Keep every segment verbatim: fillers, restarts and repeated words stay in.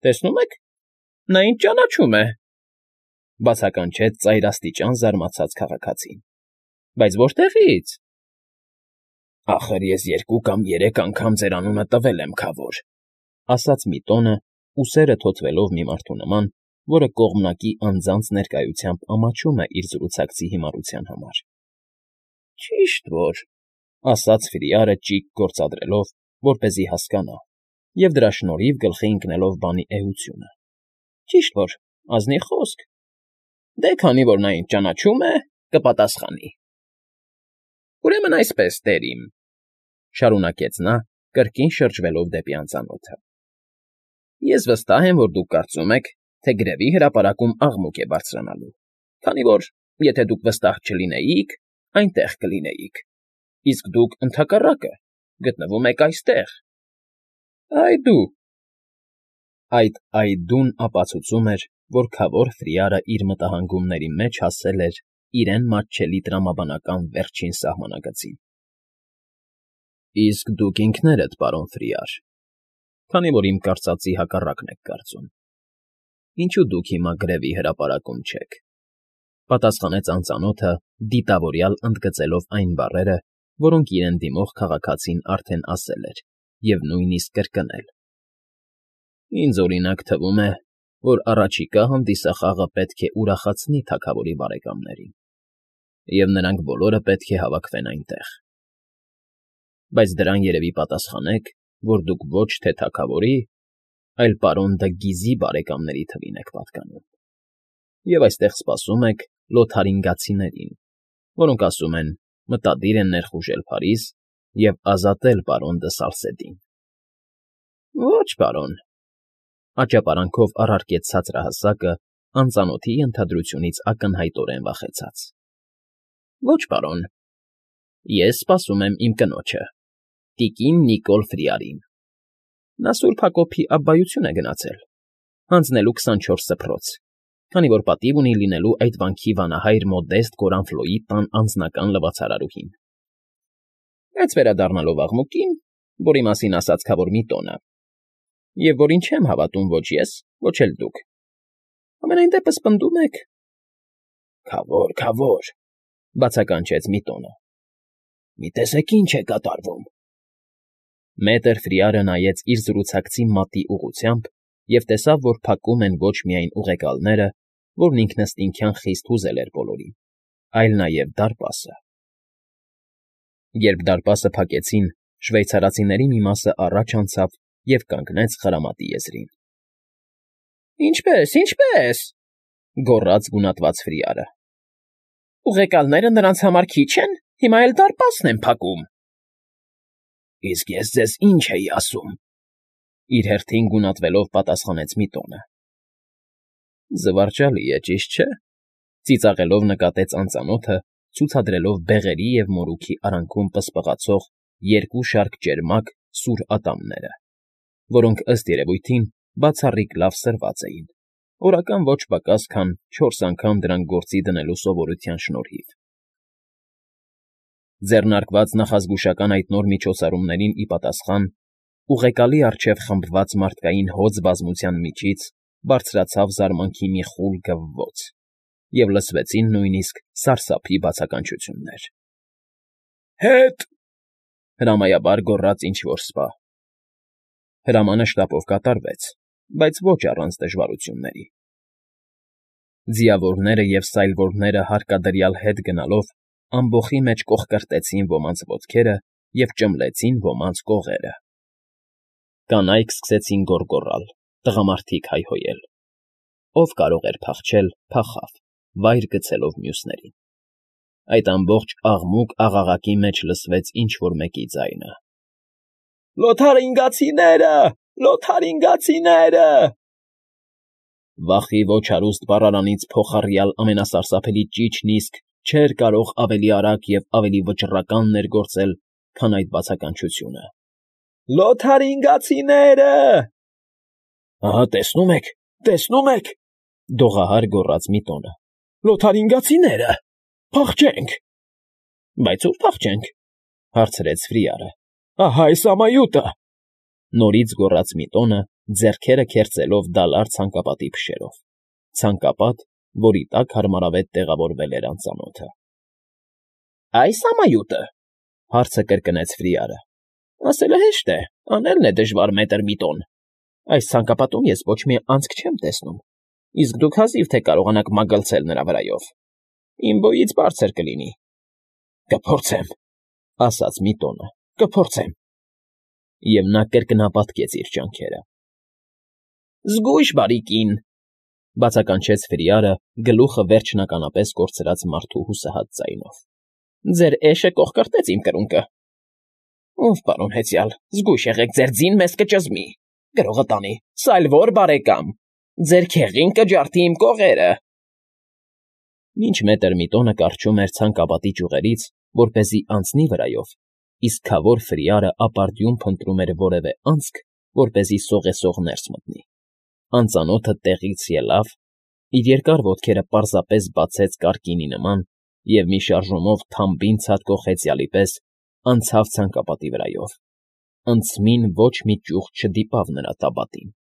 Տեսնում եք, նա ինձ ճանաչում է,֊ բացականչեց ծայրաստիճան զարմացած քաղաքացին։֊ Բայց որտեղի՞ց։ Ախր ես երկու կամ երեք անգամ ձեր անունը տվել եմ, քավոր,֊ ասաց Միտոնը, ուսերը թոթվելով մի մարդու նման, որը կողմնակի անձանց ներկայությամբ ամաչում է իր զրուցակցի հիմարության համար։ ֊ Ճիշտ որ,֊ ասաց Ֆրիարը ճիգ գործադրելով, որպեսզի հասկանա, և դրա շնորհիվ գլխի ընկնելով բանի էությունը,֊ ճիշտ որ, ազնիվ խոսք։ Դե քանի որ նա ինձ ճանաչում է, կպատասխանի։ ֊ Ուրեմն այսպես, տեր իմ,֊ շարունակեց նա, կրկին շրջվելով դեպի անծանոթը,֊ ես վստահ եմ, որ դուք կարծում եք, թե գրևի հրապարակում աղմուկ է բարձրանալու, քանի որ, եթե դուք վստահ չլինեիք, այնտեղ կլինեիք, իսկ դուք, ընդհակառակը, գտնվում եք այստեղ։ Այ դու… Այդ «այ»֊դուն ապացուցում էր, որ քավոր Ֆրիարը իր մտահանգումների մեջ հասել էր իրեն մատչելի տրամաբանական վերջին սահմանագծին։ Իսկ դուք ինքներդ, պարոն Ֆրիար, քանի որ իմ կարծածի հակառակն եք կարծում, ինչո՞ւ դուք հիմա գրևի հրապարակում չեք,֊ պատասխանեց անծանոթը, դիտավորյալ ընդգծելով այն բառերը, որոնք իրեն դիմող քաղաքացին արդեն ասել էր և նույնիսկ կրկնել։ Ինձ, օրինակ, թվում է, որ առաջիկա հանդիսախաղը պետք է ուրախացնի թագավորի բարեկամներին, և նրանք բոլորը պետք է հավաքվեն այնտեղ։ Բայց դրան երևի պատասխանեք, որ դուք ոչ թե թագավորի, այլ պարոն Դը Գիզի բարեկամների թվին եք պատկանում, և այստեղ սպասում եք լոթարինգացիներին, որոնք, ասում են, մտադիր են ներխուժել Փարիզ և ազատել պարոն Դը Սալսեդին։ ֊ Ոչ, պարոն,֊ աճապարանքով առարկեց ցածրահասակը, անծանոթի ենթադրությունից ակնհայտորեն վախեցած։ ֊ Ոչ, պարոն, ես սպասում եմ իմ կնոջը, տիկին Նիկոլ Ֆրիարին. նա Սուրբ Հակոբի Աբբայություն է գնացել, հանձնելու քսանչորս սփռոց, քանի որ պատիվ ունի լինելու այդ վանքի վանահայր Մոդեստ Կորանֆլոյի տան անձնական լվացարարուհին։ Բայց վերադառնալով աղմուկին, որի մասին ասաց քավոր Միտոնը, և որին չեմ հավատում ոչ ես, ոչ էլ դուք, համենայն դեպս պնդում եք… ֊ Քավոր, քավոր,֊ բացականչեց Միտոնը,֊ մի տեսեք ինչ է կատարվում… Մետր Ֆրիարը նայեց իր զրուցակցի մատի ուղղությամբ և տեսավ, որ փակում են ոչ միայն ուղեկալները, որն ինքնըստինքյան խիստ հուզել էր բոլորին, այլ նաև դարպասը։ Երբ դարպասը փակեցին, շվեյցարացիների մի մասը առաջ անցավ և կանգնեց խրամատի եզրին։ ֊ Ինչպե՜ս, ինչպե՜ս,֊ գոռաց գունատված Ֆրիարը,֊ ուղեկալները նրանց համար քիչ են, հիմա էլ դարպասն են փակում։ ֊ Իսկ ես ձեզ ինչ էի ասում,֊ իր հերթին գունատվելով պատասխանեց Միտոնը։ ֊ Զվարճալի է, ճիշտ չէ,֊ ծիծաղելով նկատեց անծանոթը, ցուցադրելով բեղերի և մորուքի արանքում պսպղացող երկու շարք ճերմակ, սուր ատամները, որոնք, ըստ երևույթին, բացառիկ լավ սրված էին, օրական ոչ պակաս, քան չորս անգամ դրանք գործի դնելու սովորության շնորհիվ։ Ձեռնարկված նախազգուշական այդ նոր միջոցառումներին ի պատասխան, ուղեկալի առջև խմբված մարդկային հոծ բազմության միջից բարձրացավ զարմանքի մի խուլ գվվոց, և լսվեցին նույնիսկ սարսափի բացականչություններ։ ֊ Հետ,֊ հրամայաբար գոռաց ինչ֊որ սպա։ Հրամանը շտապով կատարվեց, բայց ոչ առանց դժվարությունների։ Ձիավորները և սայլվորները հարկադրյալ հետ գնալով ամբոխի մեջ կոխկրտեցին ոմանց ոտքերը և ճմլեցին ոմանց կողերը։ Կանայք սկսեցին գոռգոռալ, տղամարդիկ հայհոյել։ Ով կարող էր փախչել, փախավ, վայր գցելով մյուսներին։ Այդ ամբողջ աղմուկ֊աղաղակի մեջ լսվեց ինչ֊որ մեկի ձայնը. «Լոթարինգացիները… Լոթարինգացիները…» Վախի ոչ հարուստ բառարանից փոխառյալ ամենասարսափելի ճիչն իսկ չէր կարող ավելի արագ և ավելի վճռական ներգործել, քան այդ բացականչությունը. «Լոթարինգացիները…» Ահա, տեսնում եք, տեսնում եք,֊ դողահար գոռաց Միտոնը,֊ Լոթարինգացիները… Փախչենք… ֊ Բայց ո՞ւր փախչենք,֊ հարցրեց Ֆրիարը։ ֊ Ահա այս ամայուտը… Նորից գոռաց Միտոնը, ձեռքերը քերծելով դալար ցանկապատի փշերով, ցանկապատ, որի տակ հարմարավետ տեղավորվել էր անծանոթը։ ֊ Ա՞յս ամայուտը,֊ հարցը կրկնեց Ֆրիարը։ ֊ Ասելը հեշտ է, անելն է դժվար, մետր Միտոն։ Այս ցանկապատում ես ոչ մի անցք չեմ տեսնում, իսկ դուք հազիվ թե կարողանաք մագլցել նրա վրայով։ Իմ բոյից բարձր կլինի։ ֊ Կփորձեմ,֊ ասաց Միտոնը,֊ կփորձեմ։ Եվ նա կրկնապատկեց իր ջանքերը։ ֊ Զգույշ, բարի կին,֊ բացականչեց Ֆրիարը, գլուխը վերջնականապես կորցրած մարդու հուսահատ ձայնով։֊ Ձեր էշը կոխկրտեց իմ կրունկը։ ֊ Ով պարոն հեծյալ, զգույշ եղեք, ձեր ձին մեզ կճզմի, գրողը տանի, սա էլ ո՞ր բարեկամ, ձեր քեղին կջարդի իմ կողերը… Մինչ մետր Միտոնը կառչում էր ցանկապատի ճյուղերից, որպեսզի անցնի վրայով, իսկ քավոր Ֆրիարը ապարդյուն փնտրում էր որևէ անցք, որպեսզի սողեսող ներս մտնի, անծանոթը տեղից ելավ, իր երկար ոտքերը պարզապես բացեց կարկինի նման և մի շարժումով թամբին ցատկող հեծյալի պես անցավ ցանկապատի վրայով, անցմին ոչ մի ճյուղ չդիպավ նրա տաբատին։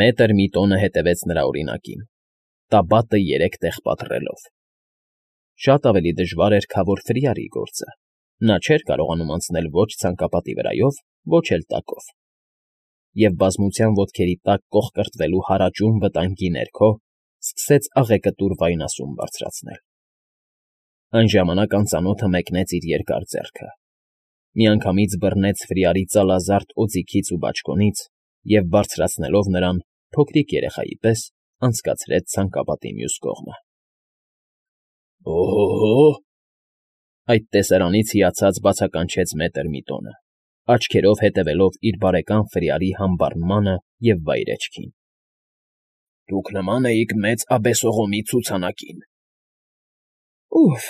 Մետր Միտոնը հետևեց նրա օրինակին, տաբատը երեք տեղ պատռելով։ Շատ ավելի դժվար էր քավոր Ֆրիարի գործը. նա չէր կարողանում անցնել ոչ ցանկապատի վրայով, ոչ էլ տակով, և բազմության ոտքերի տակ կոխկրտվելու հարաճուն վտանգի ներքո սկսեց աղեկտուր վայնասուն բարձրացնել։ Այն ժամանակ անծանոթը մեկնեց իր երկար ձեռքը, միանգամից բռնեց Ֆրիարի ծալազարդ օձիքից ու բաճկոնից և, բարձրացնելով նրան, փոքրիկ երեխայի պես անցկացրեց ցանկապատի մյուս կողմը։ ֊ Օ՜հ,֊ այդ տեսարանից հիացած բացականչեց մետր Միտոնը, աչքերով հետևելով իր բարեկամ Ֆրիարի համբարմանը և վայրէջքին։ ֊ Դուք նման էիք մեծ աբեսողոմի ցուցանակին։ ֊ Ուֆ…֊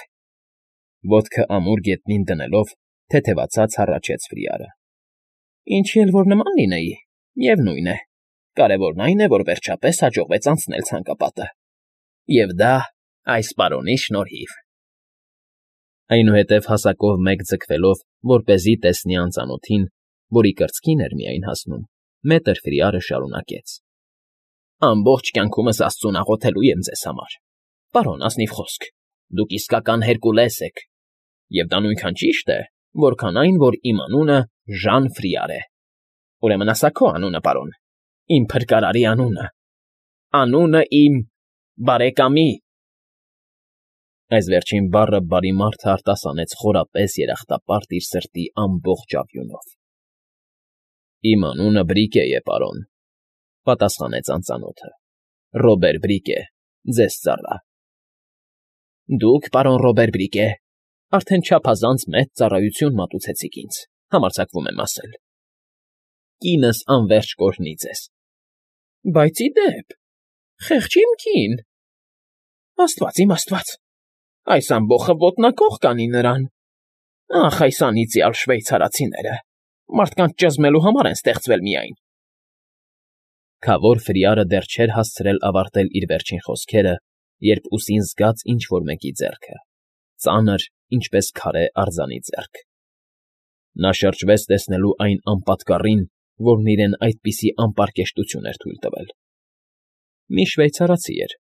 ոտքը ամուր գետնին դնելով, թեթևացած հառաչեց Ֆրիարը։ ֊ Ինչի էլ որ նման լինեի, միևնույն է, կարևորն այն է, որ վերջապես հաջողվեց անցնել ցանկապատը, և դա այս պարոնի շնորհիվ… Այնուհետև հասակով մեկ ձգվելով, որպեսզի տեսնի անծանոթին, որի կրծքին էր միայն հասնում, մետր Ֆրիարը շարունակեց. ֊ Ամբողջ կյանքումս աստծուն աղոթելու եմ ձեզ համար, պարոն, ազնիվ խոսք, դուք իսկական Հերկուլես եք, և դա նույնքան ճիշտ է, որքան այն, որ իմ անունը Ժան Ֆրիար է… Ուրեմն ասա քո անունը, պարոն, իմ փրկարարի անունը, անունը իմ… բարեկամի… Այս վերջին բառը բարի մարդը արտասանեց խորապես երախտապարտ իր սրտի ամբողջ աղյունով։ ֊ Իմ անունը Բրիկե է, պարոն,֊ պատասխանեց անծանոթը,֊ Ռոբեր Բրիկե, ձեզ ծառա։ ֊ Դուք, պարոն Ռոբեր Բրիկե, արդեն չափազանց մեծ ծառայություն մատուցեցիք ինձ, համարձակվում եմ ասել… Կինս անվերջ կօրհնի ձեզ։ ֊ Բայց ի դեպ… խեղճ իմ կին… Աստված իմ աստված… Այս ամբոխը ոտնակոխ կանի նրան… Ախ, այս անիծյալ շվեյցարացիները… Մարդկանց ճզմելու համար են ստեղծվել միայն… Քավոր Ֆրիարը դեռ չէր հասցրել ավարտել իր վերջին խոսքերը, երբ ուսին զգաց ինչ֊որ մեկի ձեռքը, ծանր, ինչպես քարե արձանի ձեռք. նա շրջվեց տեսնելու այն անպատկառին, որն իրեն այդպիսի անպարկեշտություն էր թույլ տվել… Մի շվեյցարացի էր։ ֊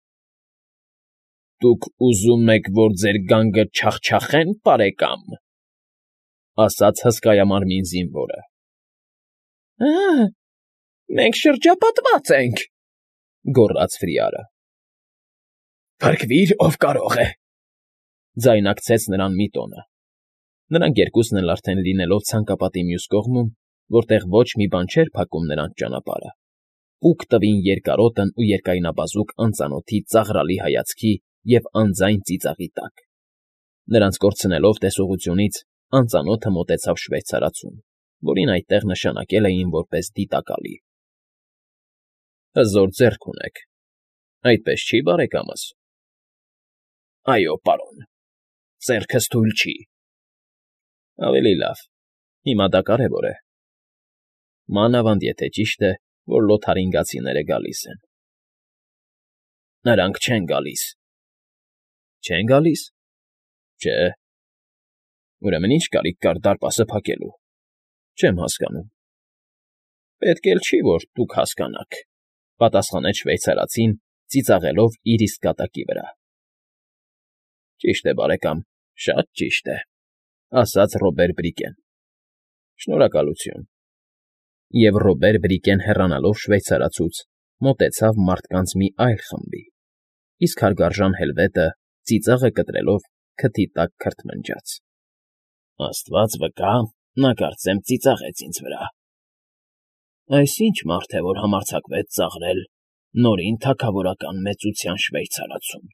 Դուք ուզում եք, որ ձեր գանգը չախչախե՞ն, պարեկամ,֊ ասաց հսկայամարմին զինվորը։ ֊ Ա՜, մենք շրջապատված ենք,֊ գոռաց Ֆրիարը։ ֊ Փրկվիր, ով կարող է,֊ ձայնարկեց նրան Միտոնը։ Նրանք երկուսն էլ արդեն լինելով ցանկապատի մյուս կողմում, որտեղ ոչ մի բան չէր փակում նրանց ճանապարհը, պուկ տվին երկարոտն ու երկայնաբազուկ անծանոթի ծաղրալի հայացքի և անձայն ծիծաղի տակ։ Նրանց կորցնելով տեսողությունից, անծանոթը մոտեցավ շվեյցարացուն, որին այդտեղ նշանակել էին որպես դիտակալի։ ֊ Հզոր ձեռք ունեք, այդպես չի՞, բարեկամս։ ֊ Այո, պարոն, ձեռքս թույլ չի։ ֊ Ավելի լավ, հիմա դա կարևոր է… Մանավանդ եթե ճիշտ է, որ լոթարինգացիները գալիս են։ ֊ Նրանք չեն գալիս։ ֊ Չե՞ն գալիս։ ֊ Չէ։ ֊ Ուրեմն ի՞նչ կարիք կար դարպասը փակելու, չեմ հասկանում։ Պետք էլ չի, որ դուք հասկանաք,֊ պատասխանեց շվեյցարացին, ծիծաղելով իր իսկ կատակի վրա։ ֊ Ճիշտ է, բարեկամ, շատ ճիշտ է,֊ ասաց Ռոբեր Բրիկեն։֊ Շնորհակալություն…֊ Եվ Ռոբեր Բրիկեն հեռանալով շվեյցարացուց մոտեցավ մարդկանց մի այլ խմբի, իսկ հարգարժան հելվետը, ծիծաղը կտրելով, քթի տակ քրթմնջաց։ ֊ Աստված վկա, նա, կարծեմ, ծիծաղեց ինձ վրա… Այս ի՞նչ մարդ է, որ համարձակվեց ծաղրել նորին թագավորական մեծության շվեյցարացուն։